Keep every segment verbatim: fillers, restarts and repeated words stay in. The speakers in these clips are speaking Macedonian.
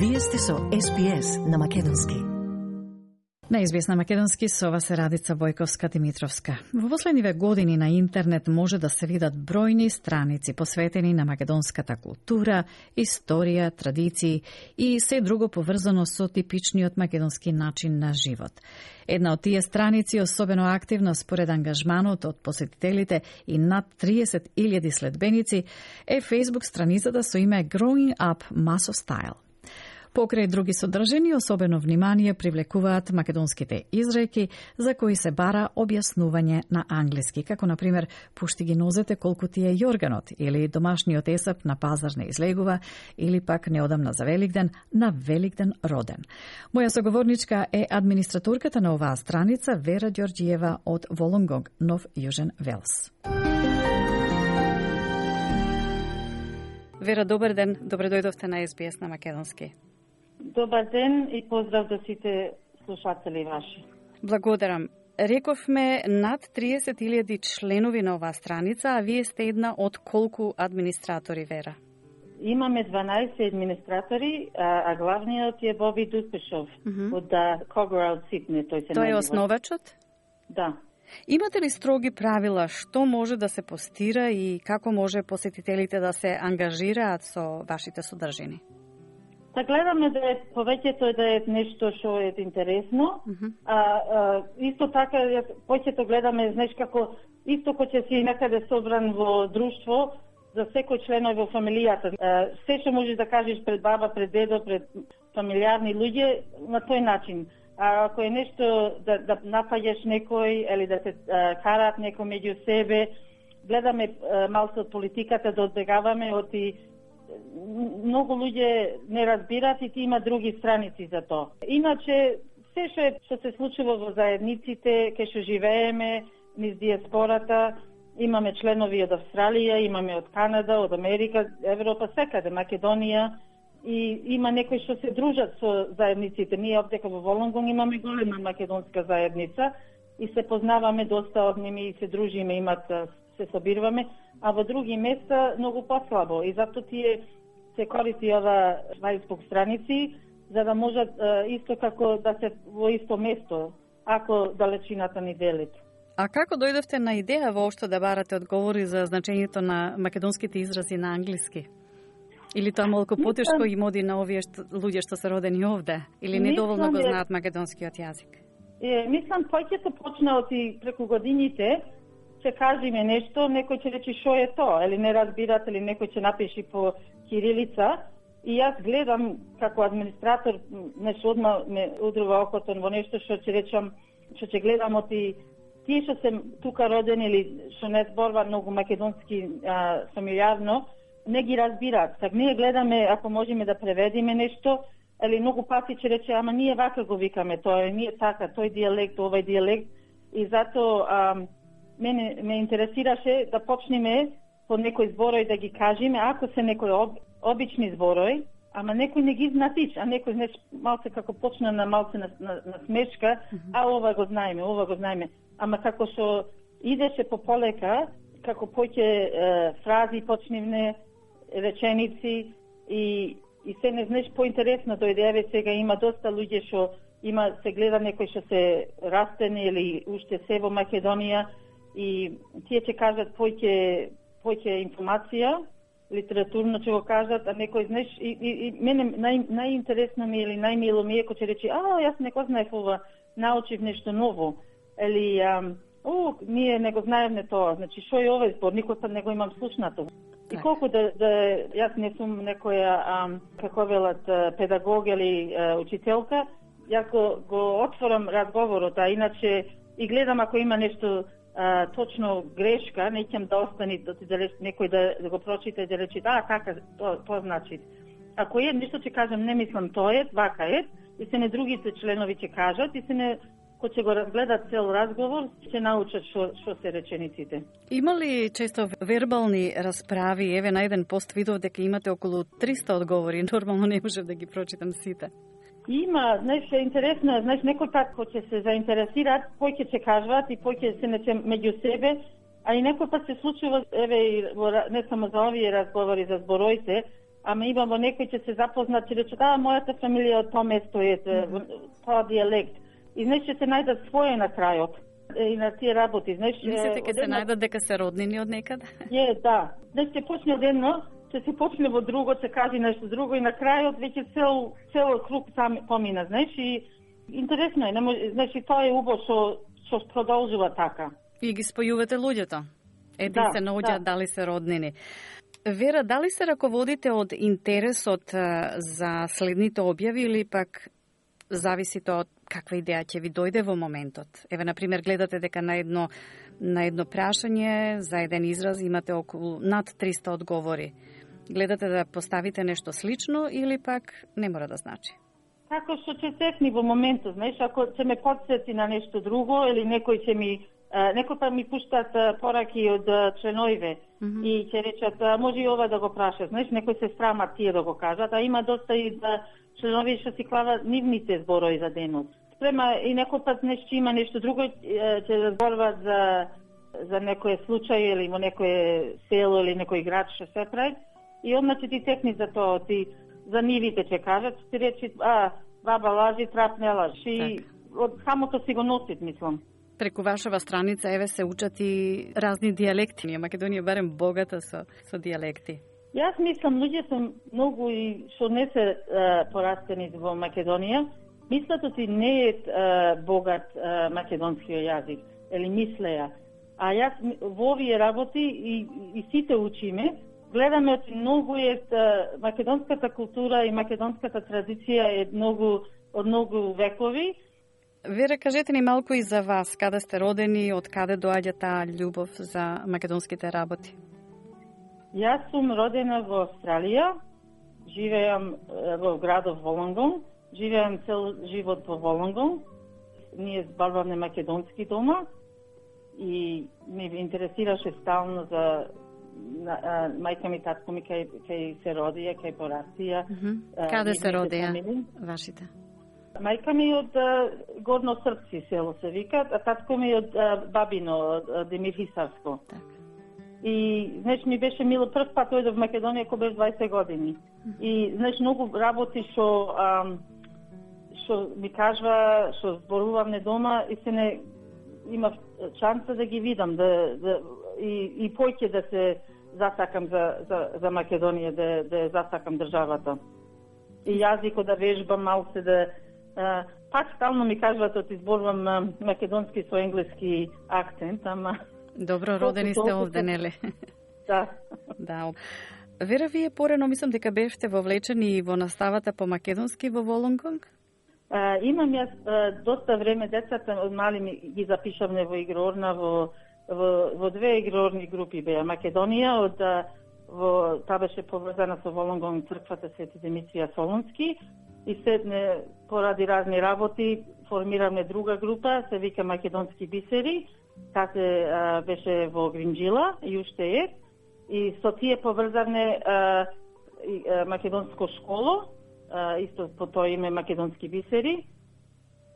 Вие сте со Ес Би Ес на македонски. На Ес Би Ес на македонски со вас е Радица Бојковска-Димитровска. Во последниве години на интернет може да се видат бројни страници посветени на македонската култура, историја, традиции и се друго поврзано со типичниот македонски начин на живот. Една од тие страници, особено активна според ангажманот од посетителите и над триесет илјади следбеници, е Facebook страницата со име Growing Up Maso Style. Покрај други содржини, особено внимание привлекуваат македонските изреки за кои се бара објаснување на англиски, како на пример пушти ги нозете колку ти е јорганот, или домашниот есеп на пазар не излегува, или пак неодамна за Великден, на Великден роден. Моја соговорничка е администраторката на оваа страница Вера Ѓорѓиева од Волонгонг, Нов Јужен Велс. Вера, добар ден, добре дојдовте на Ес Би Ес на македонски. Добар ден и поздрав до сите слушатели ваши. Благодарам. Рековме над триесет илјади членови на оваа страница, а вие сте една од колку администратори, Вера? Имаме дванаесет администратори, а, а главниот е Боби Дуспешов uh -huh. од Coggerell Sydney. Тој се Тој е основачот? Да. Имате ли строги правила што може да се постира и како може посетителите да се ангажираат со вашите содржини? Та гледаме да е повеќето да е нешто што е интересно, uh -huh. а, а исто така повеќето гледаме, знаеш како исто кој ќе си некаде собран во друштво за секој член во фамилијата. А, се што можеш да кажеш пред баба, пред дедо, пред фамилиарни луѓе на тој начин. А ако е нешто да, да напаѓаш некој или да се а, караат некој меѓу себе, гледаме а, малку од политиката да одбегаваме од и многу луѓе не разбират и ти има други страници за тоа. Иначе, се што е што се случува во заедниците, кај што живееме, низ диаспората, имаме членови од Австралија, имаме од Канада, од Америка, Европа, секаде, Македонија, и има некои што се дружат со заедниците. Ние овде во Волонгонг имаме голема македонска заедница и се познаваме доста од ними и се дружиме, имат се собируваме, а во други места многу послабо и затоа тие се користи ова Facebook страници за да можат исто како да се во исто место ако далечината ни делит. А како дојдовте на идеја воопшто да барате одговори за значењето на македонските изрази на англиски? Или тоа малку потешко им оди на овие што, луѓе што се родени овде? Или недоволно го знаат македонскиот јазик? Е, мислам, појќето почна од и преку годините, ќе кажеме нешто, некој ќе рече шо е тоа, или не разбират, или некој ќе напиши по кирилица. И јас гледам како администратор, нешто одма ме удрува окото во нешто што ќе речам, што ќе гледам од и тие што се тука родени или што не зборува многу македонски а, фамилиарно, не ги разбираат. Так ние гледаме ако можеме да преведиме нешто, или многу пати ќе рече, ама ние вака го викаме тоа, ние така, тој дијалект, овај дијалект, и затоа мене ме интересираше да почнеме по некој зборој да ги кажеме, ако се некој об, обични зборој, ама некој не ги знатич, а некој знаеш малце како почна на малце на, на, на смешка, mm -hmm. а ова го знаеме, ова го знаеме, ама како што идеше по полека, како поќе фрази почневне, реченици и и се не знаеш поинтересно дојде, еве сега има доста луѓе што има се гледа некој што се растени или уште се во Македонија и тие ќе кажат поќе поќе информација, литературно ќе го кажат, а некој знаеш и, и, и мене нај најинтересно ми или најмило ми е кога ќе рече, а јас не го знаев ова, научив нешто ново, или ам, о, ние не го знаевме тоа, значи што е овој збор, никој пат не го имам слушнато. И колку да, да јас не сум некоја, ам, како велат, педагог или а, учителка, јас го, го отворам разговорот, а иначе и гледам ако има нешто а, точно грешка, не ќе да остани да ти да некој да, да го прочита и да рече, да, така, тоа то значи. Ако е нешто ќе кажам, не мислам тоа е, вака е, и се не другите членови ќе кажат, и се не кој ќе го разгледат цел разговор, ќе научат што што се речениците. Има ли често вербални расправи? Еве на еден пост видов дека имате околу триста одговори, нормално не можев да ги прочитам сите. Има, знаеш, интересно, знаеш, некој пат кој ќе се заинтересираат, кој ќе се кажуваат и кој ќе се нече меѓу себе, а и некој пат се случува, еве, не само за овие разговори за збороите, ама имамо некој ќе се запознат, ќе рече, да, мојата фамилија од тоа место е, mm-hmm. тоа диалект. И знаеш, ќе се најдат своје на крајот и на тие работи. Знаеш, мислите ќе се најдат дека се роднини од некаде? Е, да. Знаеш, ќе почне од едно, ќе се почне во друго, ќе кажи нешто друго и на крајот веќе цел цел круг сам помина, знаеш, и интересно е, не може, знаеш, и тоа е убаво што што продолжува така. И ги спојувате луѓето. Еди да, се наоѓаат да. Дали се роднини. Вера, дали се раководите од интересот за следните објави или пак зависите од каква идеја ќе ви дојде во моментот? Еве, на пример, гледате дека на едно на едно прашање за еден израз имате околу над триста одговори. Гледате да поставите нешто слично или пак не мора да значи? Како што ќе сетни во моментот, знаеш, ако ќе ме подсети на нешто друго или некој ќе ми некој па ми пуштат пораки од членоиве mm-hmm. и ќе речат може и ова да го прашат, знаеш, некој се срамат тие да го кажат, а има доста и да членови што си клават нивните зборови за денот. Спрема и некој пат нешто има нешто друго, ќе разборуваат за за некој случај или во некое село или некој град што се прави и одма ќе ти текни за тоа, ти за нивите ќе кажат, ти речи, а, баба лажи, трап не лажи. И од самото си го носит, мислам. Преку вашава страница, еве, се учат и разни диалекти. Македонија барем богата со, со диалекти. Јас мислам, луѓе се многу и што не се е, порастени во Македонија, мислат оти не е, е богат е, македонскиот јазик, или мислеја. А јас во овие работи и, и сите учиме, гледаме оти многу е македонската култура и македонската традиција е многу од многу векови. Вера, кажете ни малку и за вас, каде сте родени, од каде доаѓа таа љубов за македонските работи? Јас сум родена во Австралија, живеам во градот Волонгон, живеам цел живот во Волонгон. Ние зборуваме македонски дома и ме интересираше стално за на, а, мајка ми, татко ми кај, кај се родија, кај порастија. Mm-hmm. Каде се родија вашите? Мајка ми од а, Горно Српци село се вика, а татко ми од а, Бабино, од Демир Хисарско. Так. И, знаеш, ми беше мило, прв пат дојдов во Македонија кога беше дваесет години. Mm-hmm. И, знаеш, многу работи што што ми кажува, што зборувам не дома и се не имав шанса да ги видам, да, да и, и поќе да се засакам за, за, за Македонија, да, да засакам државата. И јазикот да вежбам малце, да а, пак стално ми кажуваат да изборувам а, македонски со енглески акцент, ама... Добро, родени сте овде, нели? Да. Да. Вера, вие порано мислам дека бевте вовлечени во наставата по македонски во Волонгонг? А, имам јас а, доста време, децата од мали ми ги запишавме во игрорна, во, во, во две игрорни групи беа. Македонија, од, во, та беше поврзана со Волонгонг црквата Свети Димитрија Солунски и седне поради разни работи формираме друга група, се вика Македонски бисери, та се а, беше во Гринджила и уште е. И со тие поврзавме а, и, а, македонско школо, Uh, исто по тоа име Македонски бисери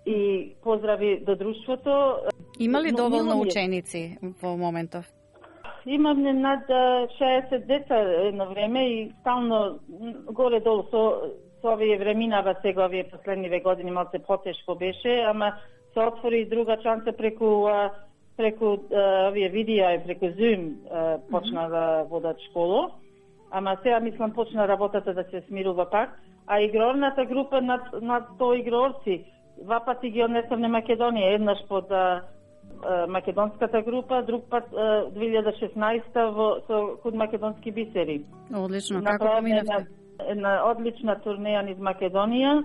и поздрави до друштвото. Има ли доволно ученици во моментов? Имаме над шеесет деца едно време и стално горе-долу со, со овие времинава сега, овие последниве години малце потешко беше, ама се отвори друга шанса преку преку овие видеа и преку Zoom почна mm-hmm. да водат школо. Ама сега мислам почна работата да се смирува пак. А игрорната група над, над сто игрорци, два пати ги однесовме Македонија, еднаш под а, а, македонската група, друг пат а, две илјади и шеснаесета во со код Македонски бисери. Одлично, како поминавте? Една, една одлична турнеја низ Македонија,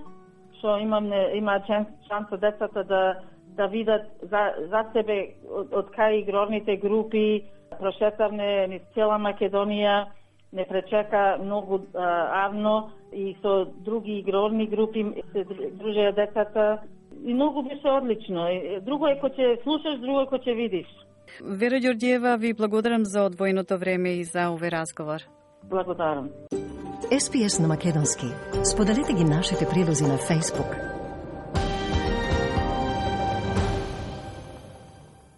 што имаме има шанса децата да да видат за, за себе од, од кај игрорните групи, прошетавме низ цела Македонија, не пречека многу а, авно и со други игрорни групи се дружеа децата и многу беше одлично. Друго е кој ќе слушаш, друго е кој ќе видиш. Вера Ѓорѓиева, ви благодарам за одвоеното време и за овој разговор. Благодарам. Ес Би Ес на македонски. Споделете ги нашите прилози на Facebook,